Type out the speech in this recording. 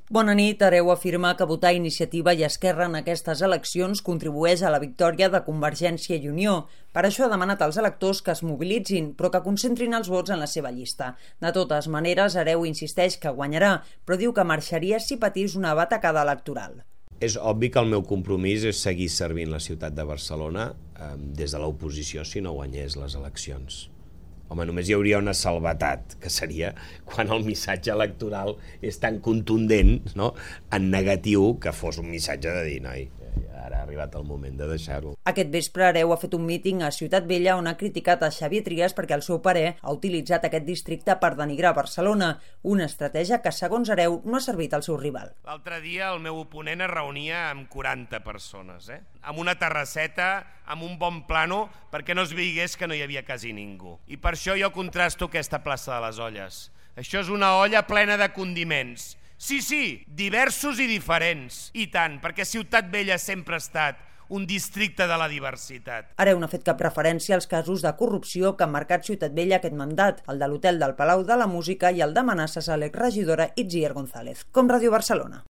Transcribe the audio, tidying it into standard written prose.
Bona nit. Hereu afirma que votar Iniciativa i Esquerra en aquestes eleccions contribueix a la victòria de Convergència i Unió. Per això ha demanat als electors que es mobilitzin, però que concentrin els vots en la seva llista. De totes maneres, Hereu insisteix que guanyarà, però diu que marxaria si patís una batacada electoral. És obvi que el meu compromís és seguir servint la ciutat de Barcelona des de l'oposició si no guanyés les eleccions. Home, només hi hauria una salvetat, que seria quan el missatge electoral és tan contundent, no?, en negatiu, que fos un missatge de dir, noi, ara ha arribat el moment de deixar-ho. Aquest vespre Hereu ha fet un míting a Ciutat Vella on ha criticat a Xavier Trias perquè, al seu parer, ha utilitzat aquest districte per denigrar Barcelona, una estratègia que, segons Hereu, no ha servit al seu rival. L'altre dia el meu oponent es reunia amb 40 persones, amb una terrasseta, amb un bon plano, perquè no es veigués que no hi havia quasi ningú. I per això jo contrasto aquesta plaça de les Olles. Això és una olla plena de condiments. Sí, diversos i diferents. I tant, perquè Ciutat Vella sempre ha estat un districte de la diversitat. Hereu no ha fet cap referència als casos de corrupció que han marcat Ciutat Vella aquest mandat, el de l'hotel del Palau de la Música i el d'amenaces a l'exregidora Itziar González. Com Ràdio Barcelona.